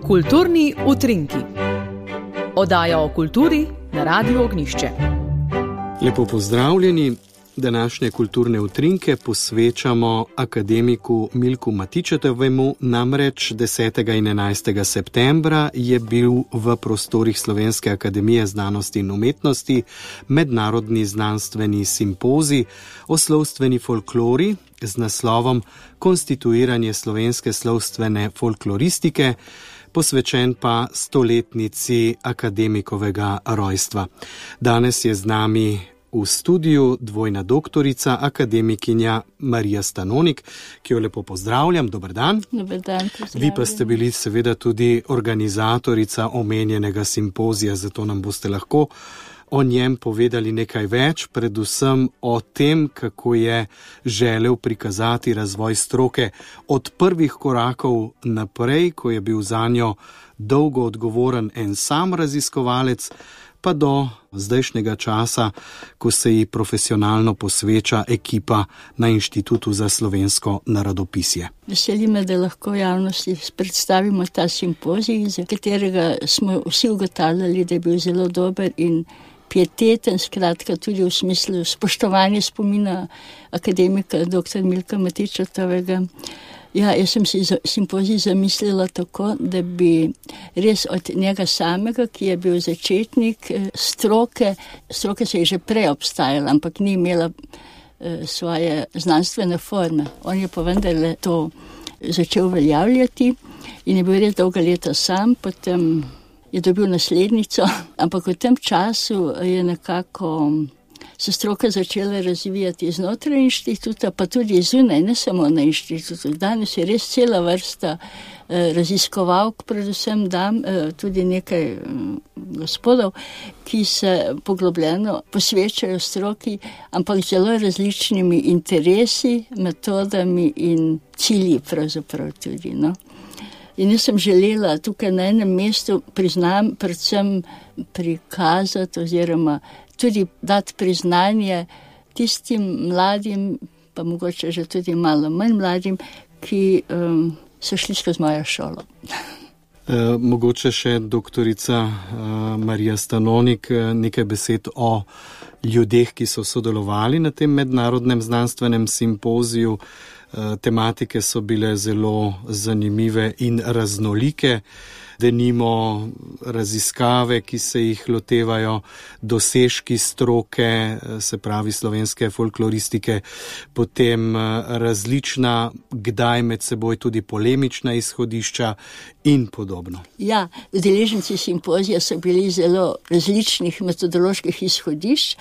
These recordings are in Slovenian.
Kulturni utrinki. Oddaja o kulturi na Radiu Ognjišče. Lepo pozdravljeni. Današnje kulturne utrinke posvečamo akademiku Milku Matičetovemu, namreč 10. in 11. septembra je bil v prostorih Slovenske akademije znanosti in umetnosti mednarodni znanstveni simpozij o slovstveni folklori z naslovom Konstituiranje slovenske slovstvene folkloristike, posvečen pa stoletnici akademikovega rojstva. Danes je z nami v studiu dvojna doktorica, akademikinja Marija Stanonik, ki jo lepo pozdravljam. Dober dan. Dober dan, Vi pa ste bili seveda tudi organizatorica omenjenega simpozija, zato nam boste lahko o njem povedali nekaj več, predvsem o tem, kako je želel prikazati razvoj stroke od prvih korakov naprej, ko je bil zanjo dolgo odgovoren en sam raziskovalec, pa do zdajšnjega časa, ko se ji profesionalno posveča ekipa na Inštitutu za slovensko narodopisje. Veseli me, da lahko javnosti predstavimo ta simpozij, za katerega smo vsi ugotavljali, da je bil zelo dober in pieteten, skratka tudi v smislu spoštovanja spomina akademika dr. Milka Matičetovega. Ja, jaz sem si simpozij zamislila tako, da bi res od njega samega, ki je bil začetnik stroke se je že prej obstajala, ampak ni imela svoje znanstvene forme. On je pa vendarle to začel uveljavljati in je bil res dolga leta sam, potem je dobil naslednico, ampak v tem času je nekako se stroka začela razvijati znotraj inštituta, pa tudi zunaj, ne samo na inštitutu. Danes je res cela vrsta raziskovalk, predvsem dam, tudi nekaj gospodov, ki se poglobljeno posvečajo stroki, ampak zelo različnimi interesi, metodami in cilji pravzaprav tudi, no. In jaz sem želela tukaj na enem mestu, priznam, predvsem prikazati oziroma tudi dati priznanje tistim mladim, pa mogoče že tudi malo manj mladim, ki so šli skozi mojo šolo. Mogoče še doktorica Marija Stanonik, nekaj besed o ljudeh, ki so sodelovali na tem mednarodnem znanstvenem simpoziju. Tematike so bile zelo zanimive in raznolike, denimo raziskave, ki se jih lotevajo, dosežki stroke, se pravi slovenske folkloristike, potem različna, kdaj med seboj tudi polemična izhodišča in podobno. Ja, udeleženci simpozija so bili zelo različnih metodoloških izhodišč,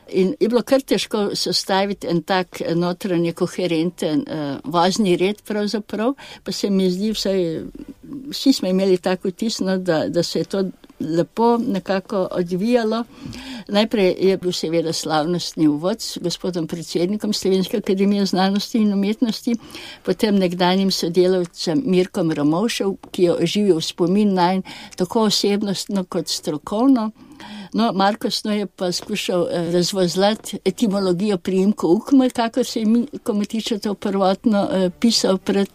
in je bilo kar težko sestaviti en tak notranje koherenten vozni red pravzaprav, pa se mi zdi, vsi smo imeli tako vtis, da se je to lepo nekako odvijalo. Najprej je bil seveda slavnostni uvod s gospodom predsednikom Slovenske akademije znanosti in umetnosti, potem nekdanjim sodelavcem Mirkom Ramovšem, ki je oživil spomin nanj tako osebnostno kot strokovno. No, Marko Sno je pa skušal razvozlati etimologijo priimka Ukmar, kakor se je Milko Matičetov prvotno pisal pred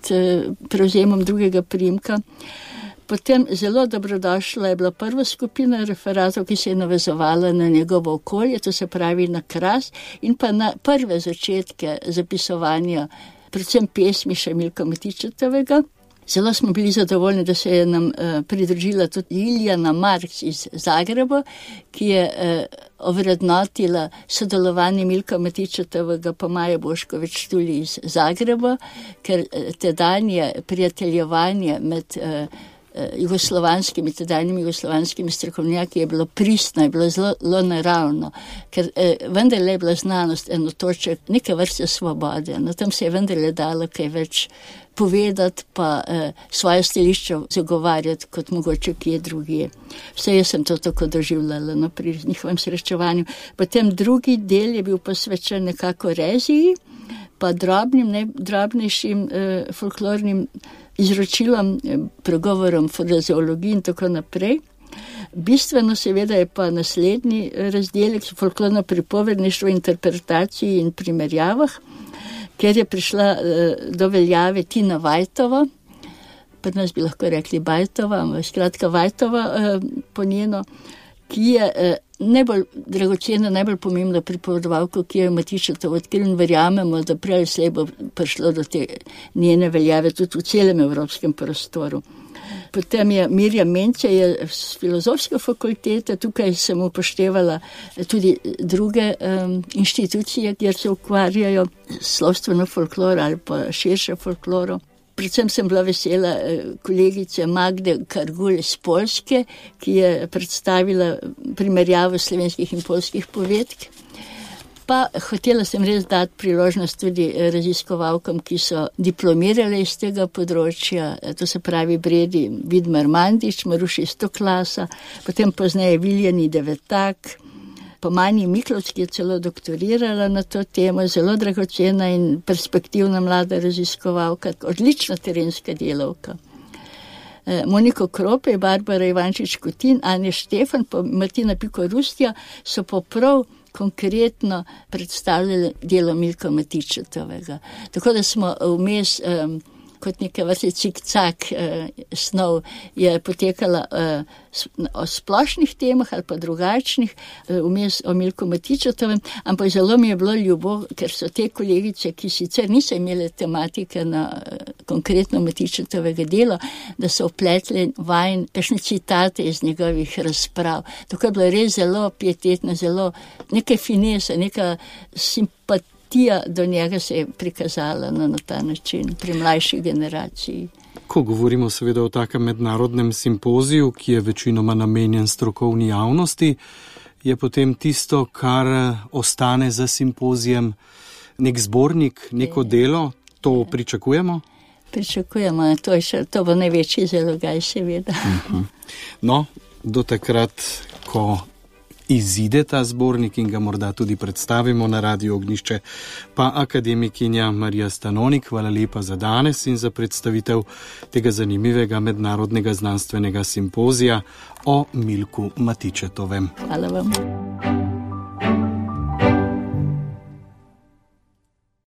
prevzemom drugega priimka. Potem zelo dobrodošla je bila prva skupina referatov, ki se je navezovala na njegovo okolje, to se pravi na Kras in pa na prve začetke zapisovanja, predvsem pesmi še Milka Matičetovega. Zelo smo bili zadovoljni, da se je nam pridružila tudi Liljana Marks iz Zagreba, ki je ovrednotila sodelovanje Milka Matičetovega pa Maje Bošković tudi iz Zagreba, ker tedanje prijateljevanje med tedajnimi jugoslovanskimi strokovnjaki je bilo pristno, je bilo zelo naravno, ker vendarle je bila znanost enotoček neke vrste svobode. No, tam se je vendarle dalo kaj več povedati, pa svoje stališče zagovarjati kot mogoče kje drugje. Vse jaz sem to tako doživljala pri njihovem srečevanju. Potem drugi del je bil posvečen nekako reziji, pa drobnejšim folklornim izročilom, pregovorom, frazeologiji in tako naprej. Bistveno seveda je pa naslednji razdelek, folklorno pripovedništvo, interpretaciji in primerjavah, kjer je prišla do veljave Tina Vajtova, pri nas bi lahko rekli Bajtova, skratka Vajtova po njeno, ki je najbolj dragocena, najbolj pomembna pripovedovalka, ki je Matičetov odkril in verjamemo, da prej slej bo prišlo do te njene veljave tudi v celem evropskem prostoru. Potem je Mirjam Mence je z filozofske fakultete, tukaj sem upoštevala tudi druge inštitucije, kjer se ukvarjajo slovstveno folkloro ali pa širše folkloro. Predvsem sem bila vesela kolegice Magde Kargul iz Poljske, ki je predstavila primerjavo slovenskih in poljskih povedk. Pa hotela sem res dati priložnost tudi raziskovalkam, ki so diplomirale iz tega področja, to se pravi Bredi Vidmar Mandić, Maruši Stoklasa, potem pozneje Viljani Devetak, pa Mani Miklovc, ki je celo doktorirala na to temo, zelo dragocena in perspektivna mlada raziskovalka, odlična terenska delavka. Moniko Krope, Barbara Ivančič-Kutin, Anja Štefan, pa Martina Piko-Rustja so prav konkretno predstavljali delo Milka Matičetovega. Tako da smo vmes kot neke vrste cik-cak snov je potekala o splošnih temah ali pa drugačnih, vmes o Milku Matičetovem, ampak zelo mi je bilo ljubo, ker so te kolegice, ki sicer niso imele tematike na konkretno Matičetovega dela, da so opletli vajn kakšne citate iz njegovih razprav. Tako je bilo res zelo pietetno, zelo neka finesa, neka simpatija do njega se je prikazala na ta način pri mlajši generaciji. Ko govorimo seveda o takem mednarodnem simpoziju, ki je večinoma namenjen strokovni javnosti, je potem tisto, kar ostane za simpozijem, nek zbornik, neko delo, to pričakujemo? Pričakujemo, to bo največji zalogaj seveda. No, do takrat, ko izide ta zbornik in ga morda tudi predstavimo na Radiu Ognjišče, pa akademikinja Marija Stanonik, hvala lepa za danes in za predstavitev tega zanimivega mednarodnega znanstvenega simpozija o Milku Matičetovem. Hvala vam.